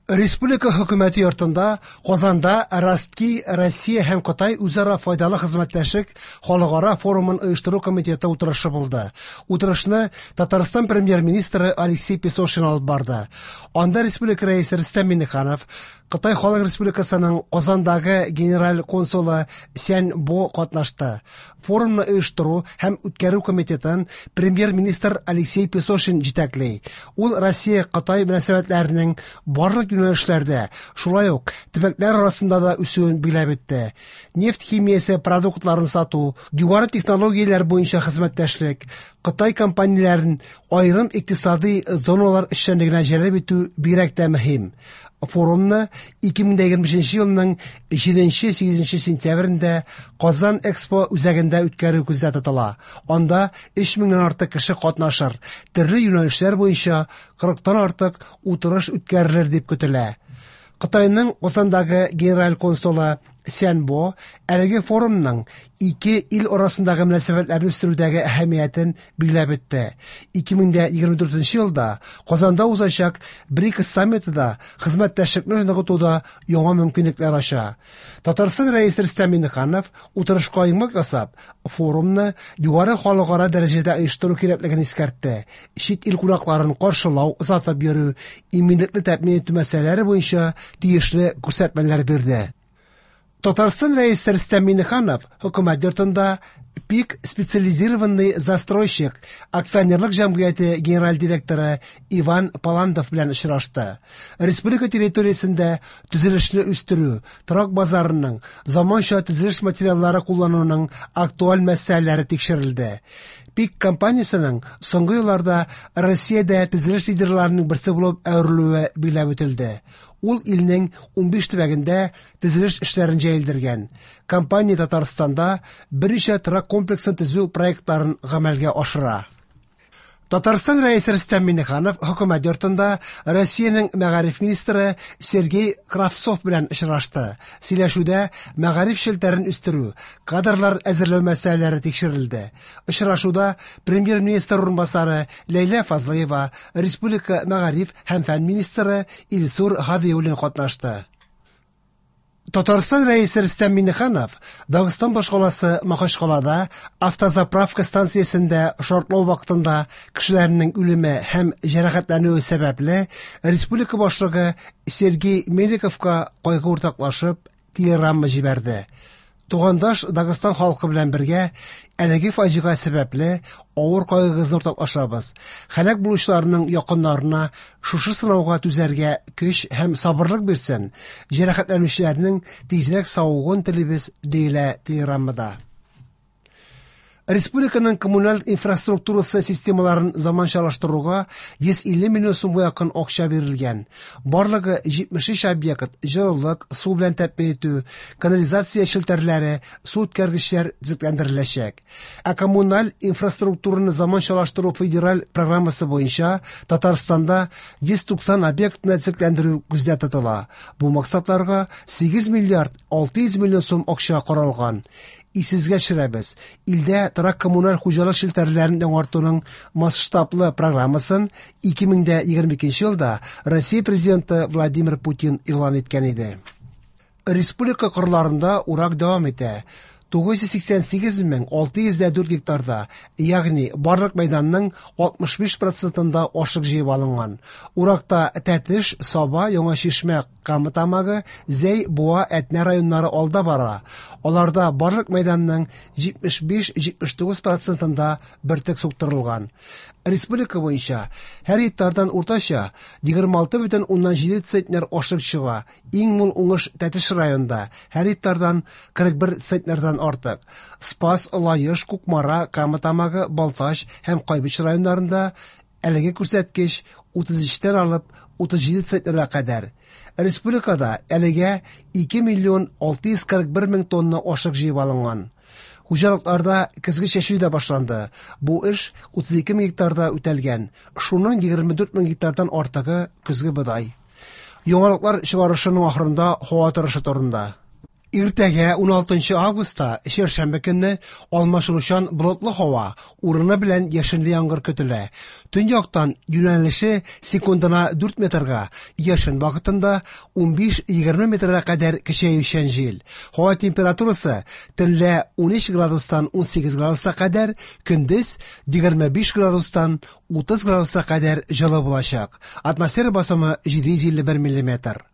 Республика хөкүмәте йортында Казанда Ростки Россия һәм Кытай үзара файдалы хезмәттәшлек халыкара форумын оештыру комитеты утырышы булды. Утырышны Татарстан премьер-министры Алексей Песошин алып барды. Анда республика рәисе Рөстәм Миңнеханов, Кытай Халык Республикасының Казандагы генераль консулы Сянь Бо катнашты. Форумны оештыру һәм үткәрү комитетын премьер-министр Алексей Песошин җитәкли. Ул Россия-Кытай мөнәсәбәтләренең барлык юнәлешләрдә, шулай ук төбәкләр арасында да үсүен билгеләп үтте. Нефть химиясе продуктларын сату, югары технологияләр буенча хезмәттәшлек, Кытай компанияләрен аерым икътисадый зоналар эшчәнлегенә җәлеп итү бигрәк тә мөһим. Форумны 2025 елның 7-8 сентябрендә Казан Экспо үзәгендә үткәрү күздә тотыла. Анда 3 меңнән артык кеше катнашыр, төрле юнәлешләр буенча 40-тан артык утырыш үткәрелер дип көтелә. Кытайның Казандагы генераль консулы Сянь Бо әлеге форумның ике ил арасындагы мөнәсәбәтләрне үстерүдәге әһәмиятен билгеләп үтте. 2024 елда Казанда узачак БРИКС саммиты да хезмәттәшлекне ныгытуда яңа мөмкинлекләр ача. Татарстан Рәисе Рөстәм Миңнеханов утырышка йомгак ясап, форумны югары халыкара дәрәҗәдә оештыру кирәклеген искәртте. Чит ил кунакларын каршылау, озатып йөрү, иминлекне тәэмин итү мәсьәләләре буенча тиешле күрсәтмәләр бирде. Татарстан Рәисе Рөстәм Миңнеханов хөкүмәт йортында ПИК специализированный застройщик акционерлык җәмгыяте генераль директоры Иван Паландов белән очрашты. Республика территориясендә төзелешне үстерү, торак базарының, заманча төзелеш материаллары куллануның актуаль мәсьәләләре тикшерелде. ПИК компаниясенең соңгы елларда Россиядә төзелеш лидерларының берсе булып әверелүе билгеләп үтелде. Ул илнең 15 төбәгендә төзелеш эшләрен җәелдергән. Компания Татарстанда берничә торак комплексын төзү проектларын гамәлгә ашыра. Татарстан Рәисе Рөстәм Миңнеханов хөкүмәт йортында Россиянең мәгариф министры Сергей Кравцов белән очрашты. Сөйләшүдә мәгариф челтәрен үстерү, кадрлар әзерләү мәсьәләләре тикшерелде. Очрашуда премьер-министр урынбасары Ләйлә Фазлыева, республика мәгариф һәм фән министры Илсур Һадиуллин катнашты. Татарстан Рәисе Рөстәм Миңнеханов Дагыстан башкаласы Махачкалада автозаправка станциясендә шартлау вакытында кешеләрнең үлеме һәм җәрәхәтләнүе сәбәпле республика башлыгы Сергей Меликовка кайгы уртаклашып телеграмма җибәрде. Тугандаш Дагыстан халкы белән бергә әлеге фаҗига сәбәпле авыр кайгыгызны уртаклашабыз. Һәлак булучыларның якыннарына шушы сынауга түзәргә көч һәм сабырлык бирсен. Җәрәхәтләнүчеләрнең тизрәк савыгуын телибез, диелә телеграммада. Республиканың коммуналь инфраструктурасы системаларын заманчалаштыруга 150 миллион сумга якын акча бирелгән. Барлыгы 73 объект җылылык, су белән тәэмин итү, канализация челтәрләре, су үткәргечләр төзекләндереләчәк. Ә коммуналь инфраструктураны заманчалаштыру федераль программасы буенча Татарстанда 190 объектны төзекләндерү күздә тотыла. Бу максатларга 8 миллиард 600 миллион сум акча каралган. Исегезгә төшерәбез, илдә торак коммуналь хуҗалык челтәрләрен яңартуның масштаблы программасын 2022 елда Россия Президенты Владимир Путин игълан иткән иде. Республика кырларында урак дәвам итә. 988 604 гектарда, ягъни барлык мәйданның 65 процентында ашлык җыеп алынган. Уракта Тәтеш, Саба, Яңа Чишмә, Кама Тамагы, Зәй, Буа, Әтнә районнары алда бара. Аларда барлык мәйданның 75-79 процентында бөртек суктырылган. Республика буенча һәр гектардан уртача 26,7 центнер ашлык чыга. Иң мул уңыш Тәтеш районында, һәр гектардан 41 центнердан артык. Спас, Лаеш, Кукмара, Кама Тамагы, Балтач һәм Кайбыч районнарында әлеге күрсәткеч 33-тән алып 37 центнерга кадәр. Республикада әлегә 2 миллион 641 мең тонна ашлык җыеп алынган. Хуҗалыкларда көзге чәчү дә башланды. Бу эш 32 мең гектарда үтәлгән. Шуның 24 мең гектардан артыгы көзге бодай. Яңалыклар чыгарышының ахырында һава торышы турында. Иртәгә 16 августта, чәршәмбе көнне алмашынучан болытлы һава, урыны белән яшенле яңгыр көтелә. Төньяктан юнәлеше секундына 4 метрга, яшен вакытында 15-20 метрга кадәр көчәючән җил. Һава температурасы төнлә 13 градустан 18 градуска кадәр, көндез 25 градустан 30 градуска кадәр җылы булачак. Атмосфера басымы 751 миллиметр.